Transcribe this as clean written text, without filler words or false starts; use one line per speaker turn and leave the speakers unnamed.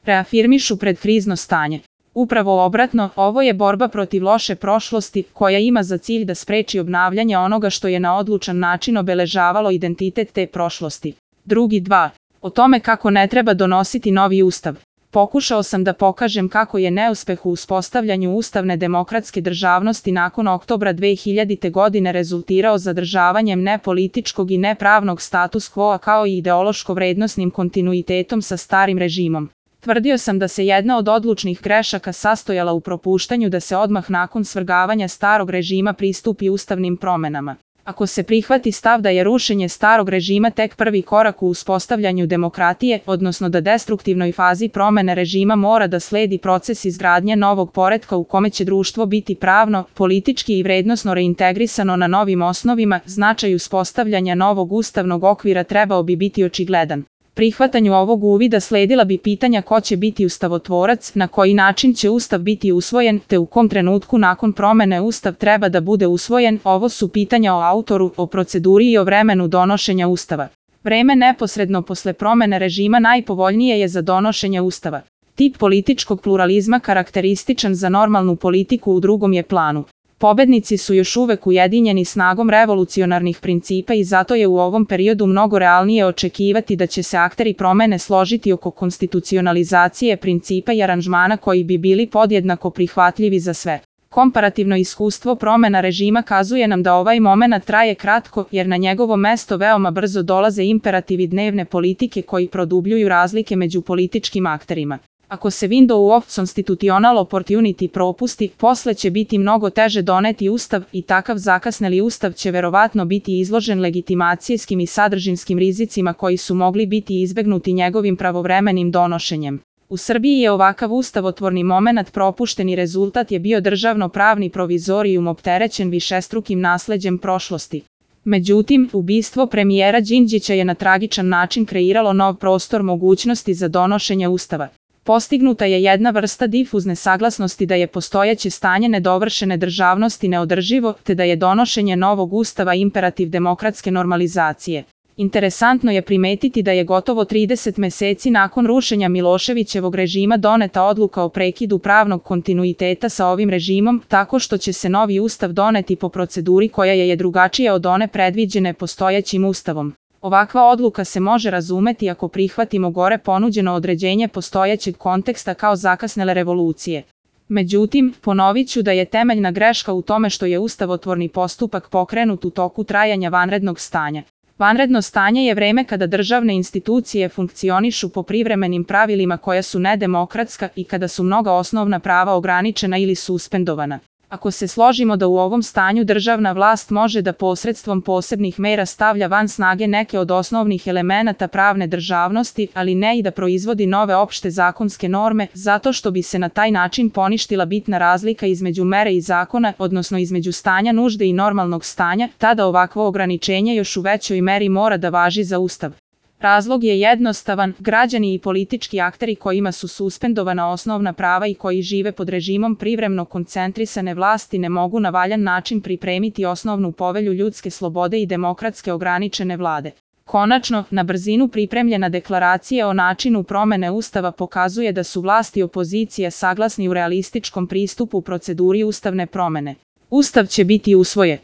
reafirmišu predkrizno stanje. Upravo obratno, ovo je borba protiv loše prošlosti koja ima za cilj da spreči obnavljanje onoga što je na odlučan način obeležavalo identitet te prošlosti. Drugi 2. O tome kako ne treba donositi novi ustav. Pokušao sam da pokažem kako je neuspeh u uspostavljanju ustavne demokratske državnosti nakon oktobra 2000. godine rezultirao zadržavanjem nepolitičkog i nepravnog status quo kao i ideološko-vrednosnim kontinuitetom sa starim režimom. Tvrdio sam da se jedna od odlučnih grešaka sastojala u propuštanju da se odmah nakon svrgavanja starog režima pristupi ustavnim promenama. Ako se prihvati stav da je rušenje starog režima tek prvi korak u uspostavljanju demokratije, odnosno da destruktivnoj fazi promene režima mora da sledi proces izgradnje novog poretka u kome će društvo biti pravno, politički i vrednosno reintegrisano na novim osnovima, značaj uspostavljanja novog ustavnog okvira trebao bi biti očigledan. Prihvatanju ovog uvida sledila bi pitanja ko će biti ustavotvorac, na koji način će ustav biti usvojen, te u kom trenutku nakon promene ustav treba da bude usvojen. Ovo su pitanja o autoru, o proceduri i o vremenu donošenja ustava. Vreme neposredno posle promene režima najpovoljnije je za donošenje ustava. Tip političkog pluralizma karakterističan za normalnu politiku u drugom je planu. Pobednici su još uvek ujedinjeni snagom revolucionarnih principa i zato je u ovom periodu mnogo realnije očekivati da će se akteri promene složiti oko konstitucionalizacije principa i aranžmana koji bi bili podjednako prihvatljivi za sve. Komparativno iskustvo promena režima kazuje nam da ovaj momenat traje kratko, jer na njegovo mesto veoma brzo dolaze imperativi dnevne politike koji produbljuju razlike među političkim akterima. Ako se window of constitutional opportunity propusti, posle će biti mnogo teže doneti ustav i takav zakasneli ustav će verovatno biti izložen legitimacijskim i sadržinskim rizicima koji su mogli biti izbegnuti njegovim pravovremenim donošenjem. U Srbiji je ovakav ustavotvorni momenat propušteni rezultat je bio državno-pravni provizorijum opterećen višestrukim nasleđem prošlosti. Međutim, ubistvo premijera Đinđića je na tragičan način kreiralo nov prostor mogućnosti za donošenje ustava. Postignuta je jedna vrsta difuzne saglasnosti da je postojeće stanje nedovršene državnosti neodrživo, te da je donošenje novog ustava imperativ demokratske normalizacije. Interesantno je primetiti da je gotovo 30 meseci nakon rušenja Miloševićevog režima doneta odluka o prekidu pravnog kontinuiteta sa ovim režimom, tako što će se novi ustav doneti po proceduri koja je drugačija od one predviđene postojećim ustavom. Ovakva odluka se može razumeti ako prihvatimo gore ponuđeno određenje postojećeg konteksta kao zakasnele revolucije. Međutim, ponovit ću da je temeljna greška u tome što je ustavotvorni postupak pokrenut u toku trajanja vanrednog stanja. Vanredno stanje je vreme kada državne institucije funkcionišu po privremenim pravilima koja su nedemokratska i kada su mnoga osnovna prava ograničena ili suspendovana. Ako se složimo da u ovom stanju državna vlast može da posredstvom posebnih mera stavlja van snage neke od osnovnih elemenata pravne državnosti, ali ne i da proizvodi nove opšte zakonske norme, zato što bi se na taj način poništila bitna razlika između mere i zakona, odnosno između stanja nužde i normalnog stanja, tada ovakvo ograničenje još u većoj meri mora da važi za ustav. Razlog je jednostavan, građani i politički akteri kojima su suspendovana osnovna prava i koji žive pod režimom privremeno koncentrisane vlasti ne mogu na valjan način pripremiti osnovnu povelju ljudske slobode i demokratske ograničene vlade. Konačno, na brzinu pripremljena deklaracija o načinu promene ustava pokazuje da su vlasti i opozicija saglasni u realističkom pristupu proceduri ustavne promene. Ustav će biti usvojen.